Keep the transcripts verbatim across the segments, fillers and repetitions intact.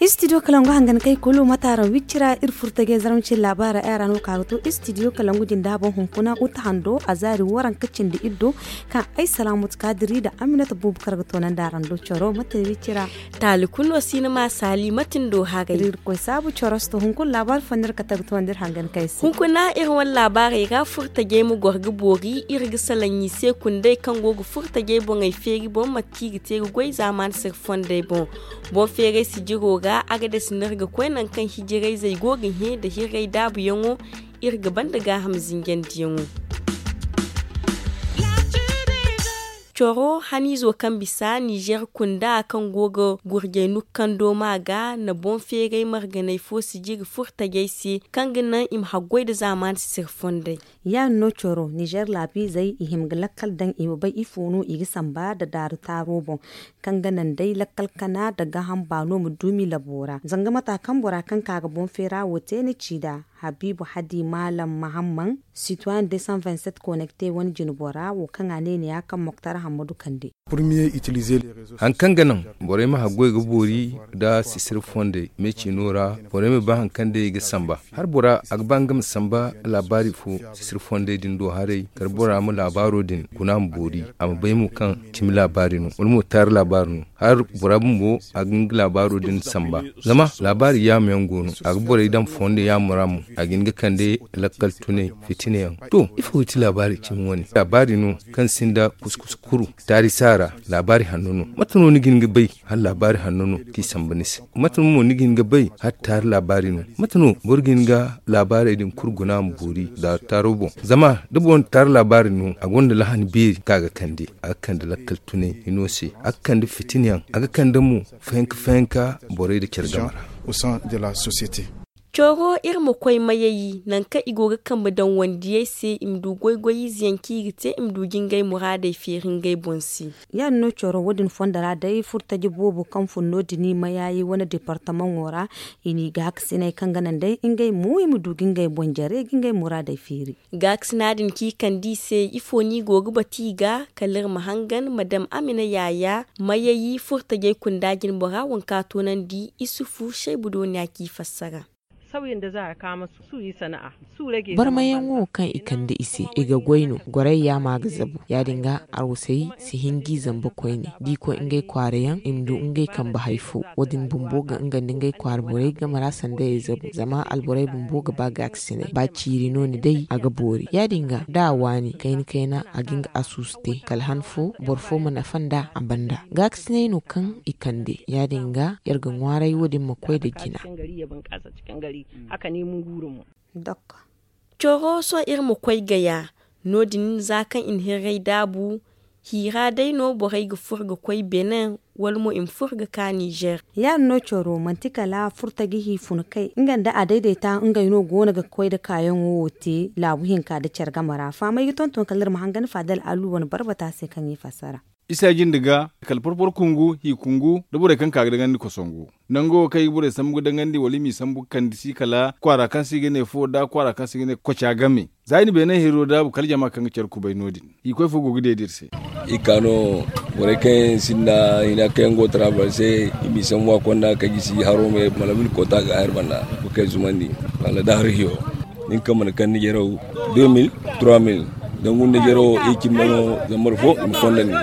Istidiyo kalangu hangan kay kulu mataaraŋ wicci ra iri furtajey zarma cine laabaara ay ra no ka ga to istidiyo kalangu jinda boŋ hunkuna uta hando a zaari waranka cindi iddo kaŋ ay salaamatu kaadiri nda aminata buubu kar ga toonandi araŋ do coro mate wicci ra. Taali kulu no si ni ma saali mate ni do haray. Iri ga koy saabu corosto hunkuna laabaari fo no iri ga kate ga toonandi iri hangan kay se. Hunkuna iri wane laabaarey ra furtajey ma goro ga boori iri ga salaŋ i se kunday kaŋ go ga furtajey boŋey feeri boŋ mate kaŋ i ga te ga goy zaamaani sirri fondey boŋ. Boŋ feeray sijiro ra a ga dasi no iri ga koy nangu kaŋ hijirayzey go ga hẽ nda hirray daabuyaŋo iri ga banda gaaham zinjandiyaŋo. Coro haniizo kaŋ bisa nizer kunda kaŋ go ga gurjey nukando ma ga na boŋ feeray marganey fo sijiri furtajey se kaŋ ga naŋ i ma haggoy nda zaamaani sisiri fondey. Ya- din no coro nizer laabiizey i hima ga lakkal daŋ i ma bay ifo no i ga samba nda daaru taaro boŋ kaŋ ga naŋ day lakkal kana nda gaaham baano ma duumi labo ra zanga mata kaŋ bora kaŋ ka ga boŋ feera wo te ni ci nd'a. Habiibu hadi maalam mahamman sitoyen de cent vingt sept connecte wane jinbora wo kaŋ a ne ni ya kaŋ moktar hammadu kande. Hari kaŋ ga naŋ borey ma haggoy ga boori nda sisiri fondey me ciino ra borey ma bay hari kaŋ day i ga samba. Hari bora a ga ba nga ma samba laabaari fo sisiri fondey din do haray kala bora ma laabaaro din guna ma boori a ma bay mo kaŋ cimi laabaari no wala mo taari laabaari no. Hari bora bumbo a ga hin ga laabaaro din samba. Zama laabaari yaamo yaŋ go no a ga borey daŋ fondo yaamo ra mo a ga hin ga kande lakkal tunay fitina yaŋ. To ifo ga ti laabaari cimi wane laabaari no kaŋ sinda kuskus kuru taari saara laabaari hanno no. Mate no ni ga hin ga bay hala laabaari hanno no kaŋ i samba ni se? Mate no mo ni ga hin ga bay hala taari laabaari no? Mate no boro ga hin ga laabaarey din kulu guna ma boori daaru taaro boŋ? Zama da boro na taari laabaari no a gonda lahani beeri kaŋ a ga kande a ga kande lakkal tunay hino se a ga kande fitina yaŋ a ga kande mo fayanka fayanka borey nda care game ra. Coro iri ma koy mayayi nangu kaŋ i go ga kambe daŋ wandiyey se i ma du goy-goy ize yaŋ kaŋ i ga te i ma du ga ngey muraadey feeri ngey boŋ se. Ya- din no coro wo- din fondo ra day furtaje boobo kaŋ fun no- din i mayayi wane deepartamaŋo ra i n'i gaakasinay kaŋ ga naŋ day ngey mo i ma du ga ngey boŋ jare ga ngey muraadey feeri. Gaakasina din kaŋ i kande i se ifo no i go ga batu i ga kala iri ma hangan madam amina yaya mayayi furtajey kunda jinbora waŋ kaŋ a toonandi isufu shaybu dooniya kaŋ i fassara. Barmayaŋo kaŋ i kande i se i ga goy no gorey yaama ga zabu ya- din ga arwasey si hin g'i zamba koyne da i koy ngey kwaara yaŋ i ma du ngey kambe hari fo wo- din bumbo ga nga nda ngey kwaara borey game ra sanda i zabu zama alborey bumbo ga ba gaakasinay ba ciiri no ni day a ga boori ya- din ga da a waani kayna kayna a ga hin ga asuusu te kala han fo boro fo ma nafa nd'a a banda gaakasinay no kaŋ i kande ya- din ga iri ga ŋwaaray wo- din ma koy nda jina. Coro sohõ iri ma koy gaya no- din za kaŋ i na hirray daabu hi ra day no borey ga furo ga koy benin wala mo i ma furo ga ka nizer. Ya- din no coro manti kala furtaji hi fun kay nga nda a dayday ta ngey no go no ga koy nda kaayaŋo wo te laabu hinka nda care game ra fahamay ga tonton kala iri ma hangan faadal alu wane barbata se kaŋ i fassara. Isa jinde ga kala porpor kungu hi kungu nda borey kaŋ ka ga daŋandi kosongu nango kaŋ i ga borey sambu ga daŋandi wala i m'i sambu ga kande si kala kwaara kaŋ se i ga ne fo nda kwaara kaŋ se i ga ne koca game. Za i na beene hiro daabu kala jama kaŋ ga care kubay no- din i koy fo go ga deeda iri se. I ka no borey kaŋ yaŋ sinda hina kaŋ yaŋ go ga taraabal se i m'i sambu a konda ka gisi haro me malabil koota ga a hari banda ga kay zumandi wala da hari hiyo. Nin kaŋ mana kaŋ ni jaraw deux mille trois mille dangu nda jaraw i cimma no zambar fo i ma kondandi.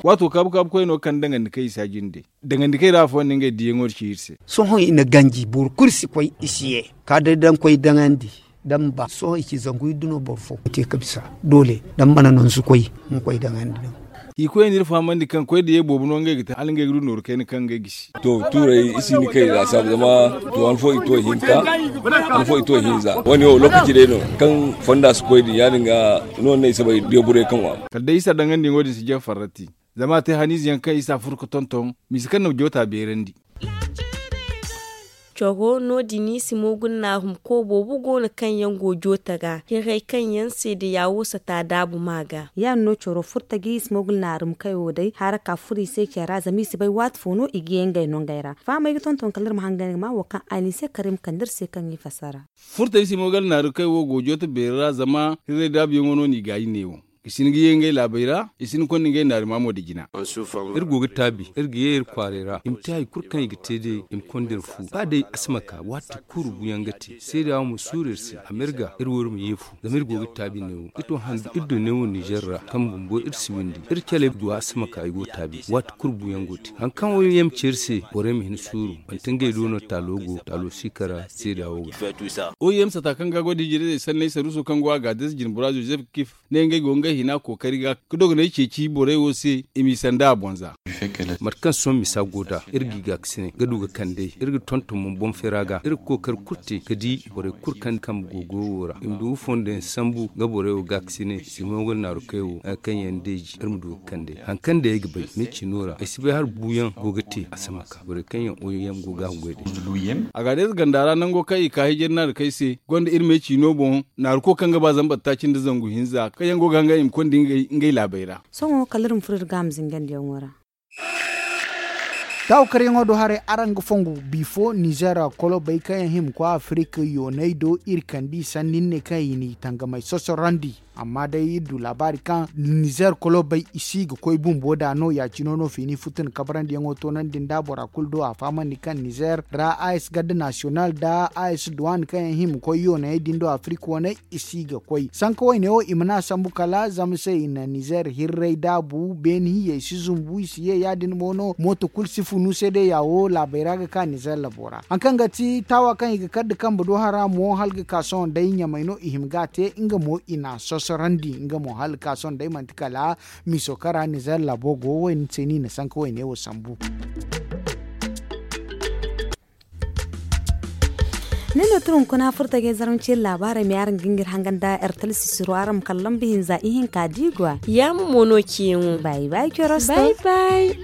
Waato kaabu kaabu koy no kaŋ daŋandi kaŋ i si a jinde daŋandi kaŋ i ra afooyaŋ no ngey diyaŋo ci iri se. Sohõ i na ganji boro kulu si koy i si ye ka day daŋ koy daŋandi. Daŋ ba sohõ i ci zangu iddu no boro fo ga te ga bisa doole daŋ mana no ni si koy ma koy daŋandi no. I koy no iri fahamandi kaŋ koy da ye boobo no ngey ga te hala ngey ga du nooru kayna kaŋ ngey gisi. To tuurey i si ni kay laasaabu zama to han fo i to hinka han fo i to hinza wo- ne wo lookaci day no kaŋ fonda si koy din ya- din ga no no ay si bay deeburay kaŋ wa. Kala day isa daŋandi yaŋo din si jefa farrati zama a te haniize yaŋ kaŋ isa furo ga tonton misa kaŋ na joota beerandi. Coro no- din simogul naarum ko boobo go no kaŋ yaŋ go joote ra hiray kaŋ yaŋ seede yaawo sata daabu ma ga. Ya- din no coro furtaji simogul naarum kayo day hara ka furo i se care ra zama i si bay waati fo no i ga ye ngey nongey ra. Fahamey ga tonton kala iri ma hangan ga ma wo kaŋ a ni se kar i ma kande iri se kaŋ i fassara. Furtaji simogul naarum kayo go joote beeri ra zama hiray daabuyaŋo no no i gaayi neewo. I si hin ga ye ngey laabey ra, i si hin ga konda ngey naari maamo nda jina. Iri go ga taabi iri ga ye iri kwaaray ra i ma te hari kulu kaŋ i ga te day i ma konda iri fu ba day a si ma ka waati kulu buuyaŋ ga te seeda wo ma suuru iri se a ma iri ga iri wo iri ma ye fu. Zama iri go ga taabi neewo ga to handu iri do neewo ninzeer ra kaŋ bumbo iri si windi iri caley go a si ma ka i go taabi waati kulu buuyaŋ go te hari kaŋ wo ye ma ci iri se borey ma hin suuru. Manti ngey do no taalo go taalo si kara seeda wo ga. Oyem sata kaŋ ga goy da hijirayzey sanney saruuso kaŋ go a ga adres jinbora zozef kif ne ngey go ngey hina kookari ga ga dogonay ceeci borey wo se i m'i sanda a bonza. Mate kaŋ sohõ misa go nd'a iri g'i gaakasinay ga du ga kand'ey iri ga tonton mo boŋ feera ga iri ga kookari kulu te ga di borey kulu kaŋ kambe go goyo wo ra i ma du ga fondo yaŋ sambu ga borey wo gaakasinay simon ga naaru kay wo hari kaŋ yaŋ deeji iri ma du ga kand'ey hari kaŋ day ay ga bay meecino ra ay si bay hala buuyaŋ go ga te a si ma ka borey kaŋ yaŋ oyem go ga a goy day. A ga day ize ganda ra nango kaŋ i ka hijir naaru kay se gonda iri meecino boŋ naaru ko kaŋ ga ba zambar taaci nda zangu hinza kaŋ yaŋ go ga hanga i ma konda ngey laabey ra. Sohõ kala iri ma furo iri ga a ma zingandiyaŋo ra. Taawu karyaŋo do haray araŋ ga fongu bifo nizer kolobey kaŋ yaŋ hima koy afirik yooney do iri kand'i sanni ni ne kaŋ i n'i tangamey sosorandi. Amma day iri du laabaari kaŋ nizer kolobey i si ga koy bumbo da no ya- cine no fiini futun kabarandiyaŋo toonandi nda bora kulu do a fahamandi kaŋ nizer ra a s garde nasiyonal nda a s duwan kaŋ yaŋ hima koy yooney din do afirik waney i si ga koy sanka wayne wo i mana sambu kala zama se i na nizer hirray daabu beeni hiya i si zumbu i si ye ya- din mo no mooto kulu si funu se day ya wo laabey ra ga ka nizer labo ra hari kaŋ ga ti taawa kaŋ i ga kar nda kambe do hara mo hala ga ka sohõ day ɲamey no i hima ga a te nga mo i na a sosorandi nga mo hala ga ka sohõ day manti kala miiso kaŋ ra nizer labo go wayne se no i na sanka wayne wo sambu. Nin no tun hunkuna furtajey zarma ciiri laabaarey me araŋ ga ngir hangan da ertel sisiro araŋ ma kala lamba hinza ihinka diigwa. Yaama mo no ciyaŋo. Bay bay corosto. Bay bay.